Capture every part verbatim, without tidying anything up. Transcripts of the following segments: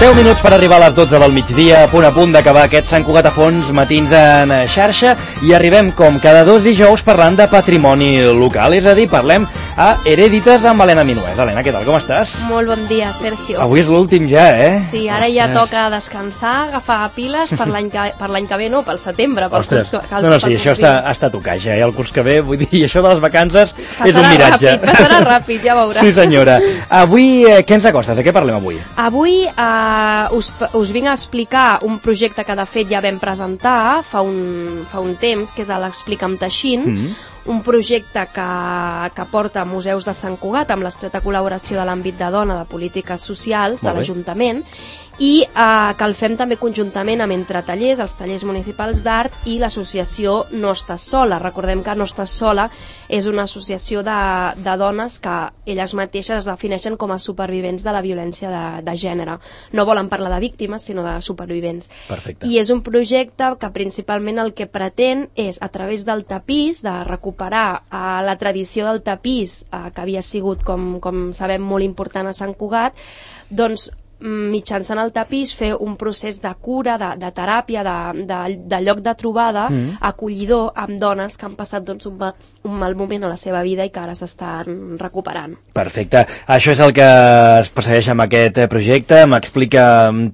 deu minuts per arribar a les dotze del migdia, a punt a punt d'acabar aquest Sant Cugat a fons, matins en xarxa, i arribem com cada dos dijous parlant de patrimoni local, és a dir, parlem a Herèdites amb Helena Minuès. Helena, què tal, com estàs? Molt bon dia, Sergio. Avui és l'últim ja, eh? Sí, ara Ostres. ja toca descansar, agafar piles per l'any que, per l'any que ve, no, pel setembre. Per Ostres, curs, que, no, no, sí, això està, està a tocar ja, eh? El curs que ve, vull dir, això de les vacances passarà és un miratge. Ràpid, passarà ràpid, ja veuràs. Sí, senyora. Avui, eh, què ens acostes? De què parlem avui? Avui eh, us, us vinc a explicar un projecte que de fet ja vam presentar fa un, fa un temps, que és l'Explica'm Teixint, mm-hmm. un projecte que, que porta Museus de Sant Cugat amb l'estreta col·laboració de l'àmbit de dona de polítiques socials de l'Ajuntament, i eh, que el fem també conjuntament amb Entre Tallers, els tallers municipals d'art i l'associació No Estàs Sola. Recordem que No Estàs Sola és una associació de, de dones que elles mateixes es defineixen com a supervivents de la violència de, de gènere. No volen parlar de víctimes, sinó de supervivents. Perfecte. I és un projecte que principalment el que pretén és, a través del tapís, de recuperar eh, la tradició del tapís, eh, que havia sigut, com, com sabem, molt important a Sant Cugat, doncs mitjançant el tapís fer un procés de cura, de, de teràpia, de, de, de lloc de trobada mm. acollidor amb dones que han passat doncs, un, mal, un mal moment a la seva vida i que ara s'estan recuperant. Perfecte. Això és el que es persegueix amb aquest projecte, m'explica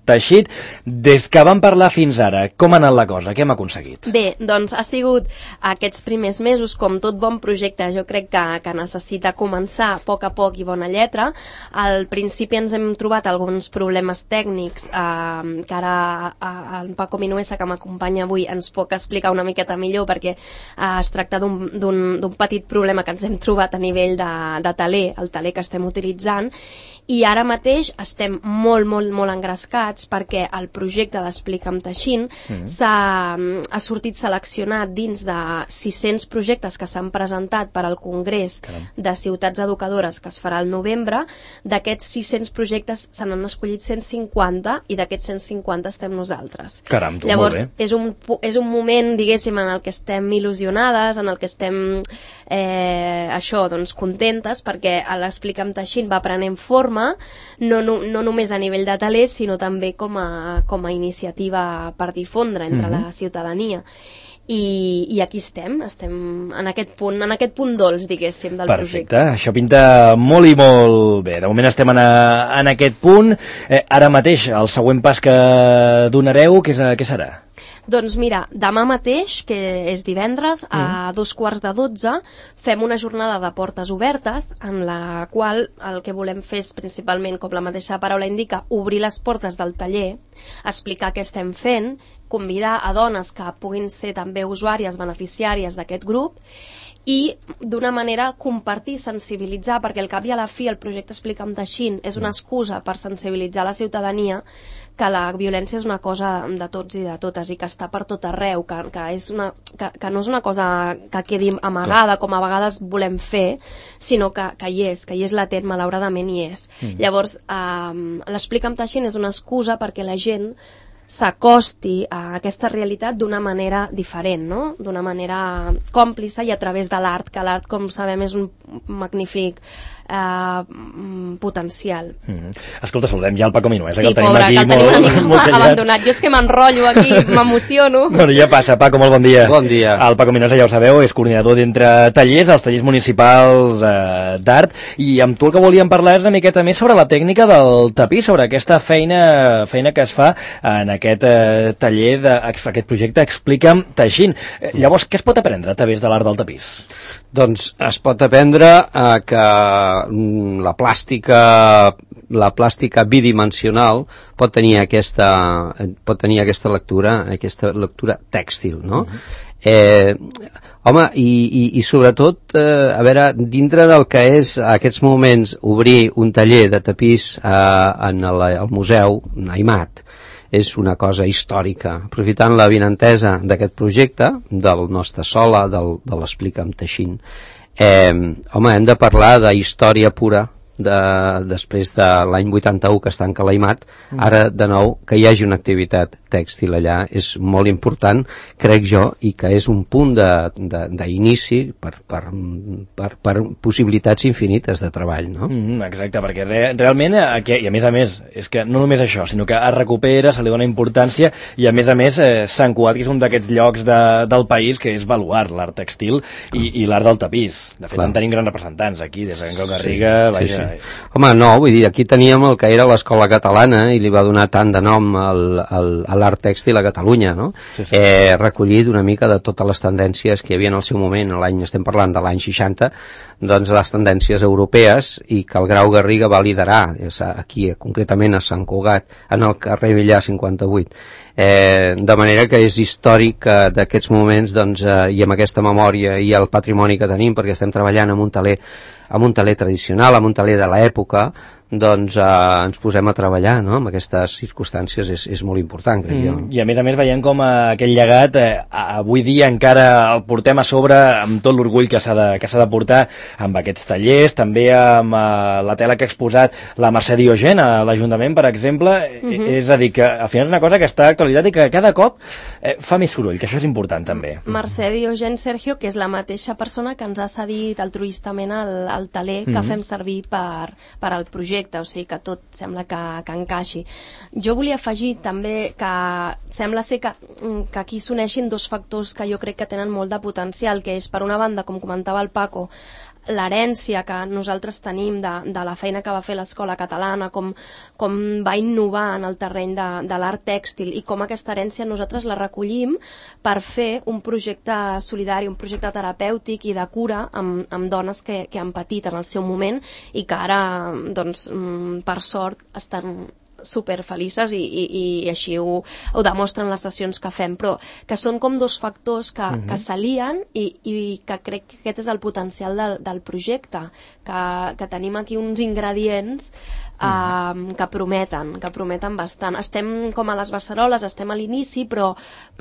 Teixit. Des que vam parlar fins ara, com ha anat la cosa? Què hem aconseguit? Bé, doncs ha sigut aquests primers mesos, com tot bon projecte, jo crec que, que necessita començar a poc a poc i bona lletra. Al principi ens hem trobat alguns problemes tècnics eh, que ara eh, en Paco Minuesa, que m'acompanya avui, ens pot explicar una miqueta millor, perquè eh, es tracta d'un petit problema que ens hem trobat a nivell de, de taler, el taler que estem utilitzant, i ara mateix estem molt, molt, molt engrescats perquè el projecte d'Explica'm Teixint mm. s'ha ha sortit seleccionat dins de sis-cents projectes que s'han presentat per al Congrés Caram. de Ciutats Educadores que es farà al novembre. D'aquests sis-cents projectes se n'han escollit cent cinquanta i d'aquests cent cinquanta estem nosaltres. Caram, tu, Llavors, molt bé. És un, és un moment, diguéssim, en el que estem il·lusionades, en el que estem eh, això, doncs, contentes, perquè l'Explica'm Teixint va prenent forma, no, no, no només a nivell de talers, sinó també com a, com a iniciativa per difondre entre mm-hmm. la ciutadania. I, i aquí estem, estem en aquest punt, en aquest punt dolç, diguéssim, del Perfecte. projecte. Perfecte, això pinta molt i molt bé. De moment estem en, a, en aquest punt. Eh, ara mateix, el següent pas que donareu, què, és, què serà? Doncs mira, demà mateix, que és divendres, mm. a dos quarts de dotze, fem una jornada de portes obertes, en la qual el que volem fer és principalment, com la mateixa paraula indica, obrir les portes del taller, explicar què estem fent, convidar a dones que puguin ser també usuàries, beneficiàries d'aquest grup, i d'una manera compartir, sensibilitzar, perquè al cap i a la fi el projecte Explica'm Teixint és una excusa per sensibilitzar la ciutadania que la violència és una cosa de tots i de totes i que està per tot arreu, que, que, és una, que, que no és una cosa que quedi amagada com a vegades volem fer, sinó que, que hi és, que hi és latent, malauradament hi és. Mm. Llavors, eh, l'Explica'm Teixint és una excusa perquè la gent s'acosti a aquesta realitat d'una manera diferent, no? D'una manera còmplice i a través de l'art, que l'art, com sabem, és un magnífic eh, potencial. Mm-hmm. Escolta, saludem ja el Paco Minuesa, sí, que el tenim pobre, aquí que el tenim molt, una mica molt abandonat. Jo és que m'enrotllo aquí, m'emociono. Bueno, ja passa, Paco, molt bon dia. Bon dia. El Paco Minuesa, ja ho sabeu, és coordinador d'Entre Tallers, els tallers municipals eh, d'art, i amb tu el que volíem parlar és una miqueta més sobre la tècnica del tapís, sobre aquesta feina, feina que es fa en aquest eh, taller, de, aquest projecte Explica'm Teixint. Eh, llavors, què es pot aprendre a través de l'art del tapís? Doncs es pot aprendre eh, que mm, la plàstica la plàstica bidimensional pot tenir aquesta pot tenir aquesta lectura, aquesta lectura tèxtil, no? Uh-huh. Eh, home, i, i, i sobretot, eh, a veure, dintre del que és a aquests moments obrir un taller de tapís eh, en el, el museu Aimat, és una cosa històrica. Aprofitant la vinentesa d'aquest projecte, del No Estàs Sola, del, de l'Explica'm Teixint, eh, home, hem de parlar de història pura de, després de l'any vuitanta-u que està encalaimat, mm. ara de nou que hi hagi una activitat tèxtil allà és molt important, crec jo, i que és un punt d'inici per, per, per, per possibilitats infinites de treball, no? Mm, exacte, perquè re, realment, aquí, i a més a més, és que no només això, sinó que es recupera, se li dona importància, i a més a més eh, Sant Cugat, que és un d'aquests llocs de, del país que és baluart, l'art textil i, i l'art del tapís. De fet, Clar. en tenim grans representants aquí, des de Can Garriga, sí, vaja... Sí, sí. Home, no, vull dir, aquí teníem el que era l'escola catalana i li va donar tant de nom al, al, a l'art tèxtil a Catalunya, no? Sí, sí. Eh, recollit una mica de totes les tendències que hi havia en el seu moment, l'any, estem parlant de l'any seixanta, doncs les tendències europees, i que el Grau Garriga va liderar, aquí concretament a Sant Cugat, en el carrer Villar cinquanta-vuit. Eh, de manera que és històric eh, d'aquests moments, doncs, eh, i amb aquesta memòria i el patrimoni que tenim, perquè estem treballant amb un taler, amb un taler tradicional, amb un taler de l'època, doncs eh, ens posem a treballar, no? Amb aquestes circumstàncies és, és molt important, crec mm, jo. I a més a més veiem com eh, aquest llegat eh, avui dia encara el portem a sobre amb tot l'orgull que s'ha de, que s'ha de portar amb aquests tallers, també amb eh, la tela que ha exposat la Mercè Diogen a l'Ajuntament, per exemple, mm-hmm. és a dir, que al final és una cosa que està actualitat i que cada cop eh, fa més soroll, que això és important també. Mercè Diogen, Sergio, que és la mateixa persona que ens ha cedit altruistament el, el taler que mm-hmm. fem servir per, per al projecte, o sigui que tot sembla que, que encaixi. Jo volia afegir també que sembla ser que, que aquí s'uneixin dos factors que jo crec que tenen molt de potencial, que és, per una banda, com comentava el Paco, l'herència que nosaltres tenim de, de la feina que va fer l'escola catalana, com, com va innovar en el terreny de, de l'art tèxtil, i com aquesta herència nosaltres la recollim per fer un projecte solidari, un projecte terapèutic i de cura amb, amb dones que, que han patit en el seu moment i que ara, doncs, per sort, estan super felices i, i, i així ho, ho demostren les sessions que fem, però que són com dos factors que, uh-huh. que s'alien i, i que crec que aquest és el potencial del, del projecte, que, que tenim aquí uns ingredients uh, que prometen, que prometen bastant. Estem com a les beceroles, estem a l'inici, però,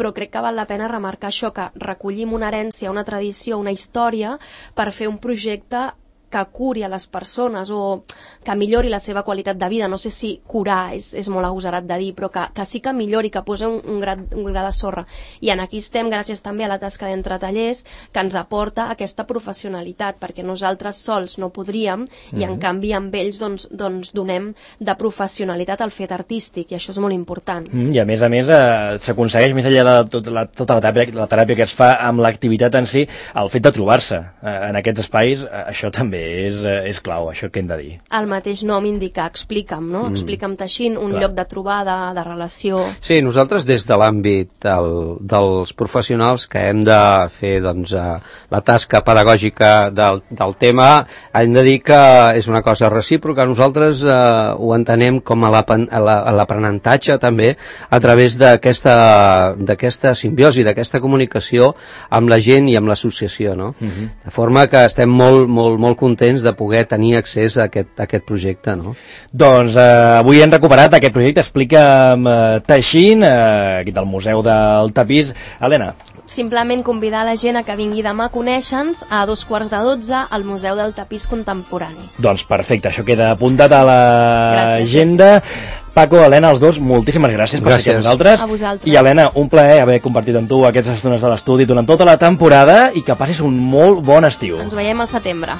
però crec que val la pena remarcar això, que recollim una herència, una tradició, una història per fer un projecte que curi a les persones o que millori la seva qualitat de vida. No sé si curar és, és molt agosarat de dir, però que, que sí que millori, que posa un, un, gra, un gra de sorra. I en aquí estem gràcies també a la tasca d'Entre Tallers, que ens aporta aquesta professionalitat, perquè nosaltres sols no podríem, mm-hmm. i en canvi amb ells doncs, doncs donem de professionalitat al fet artístic, i això és molt important. Mm, I a més a més eh, s'aconsegueix, més enllà de tot la, tota la teràpia, la teràpia que es fa amb l'activitat en si, el fet de trobar-se eh, en aquests espais, eh, això també és, és clau, això que hem de dir. El mateix nom indica, explica'm, no? Mm. Explica'm teixint, un Clar. lloc de trobada, de relació... Sí, nosaltres des de l'àmbit del, dels professionals que hem de fer doncs, la tasca pedagògica del, del tema, hem de dir que és una cosa recíproca. Nosaltres eh, ho entenem com a l'aprenentatge també a través d'aquesta d'aquesta simbiosi, d'aquesta comunicació amb la gent i amb l'associació, no? Mm-hmm. De forma que estem molt, molt, molt contents de poder tenir accés a aquest, a aquest projecte, no? Doncs eh, avui hem recuperat aquest projecte, explica'm eh, teixint, eh, aquí del Museu del Tapís. Helena. Simplement convidar la gent a que vingui demà a conèixer-nos a dos quarts de dotze al Museu del Tapís Contemporani. Doncs perfecte, això queda apuntat a l'agenda. Paco, Helena, els dos, moltíssimes gràcies per ser aquí amb nosaltres. A vosaltres. I Helena, un plaer haver compartit amb tu aquestes estones de l'estudi durant tota la temporada i que passis un molt bon estiu. Ens veiem al setembre.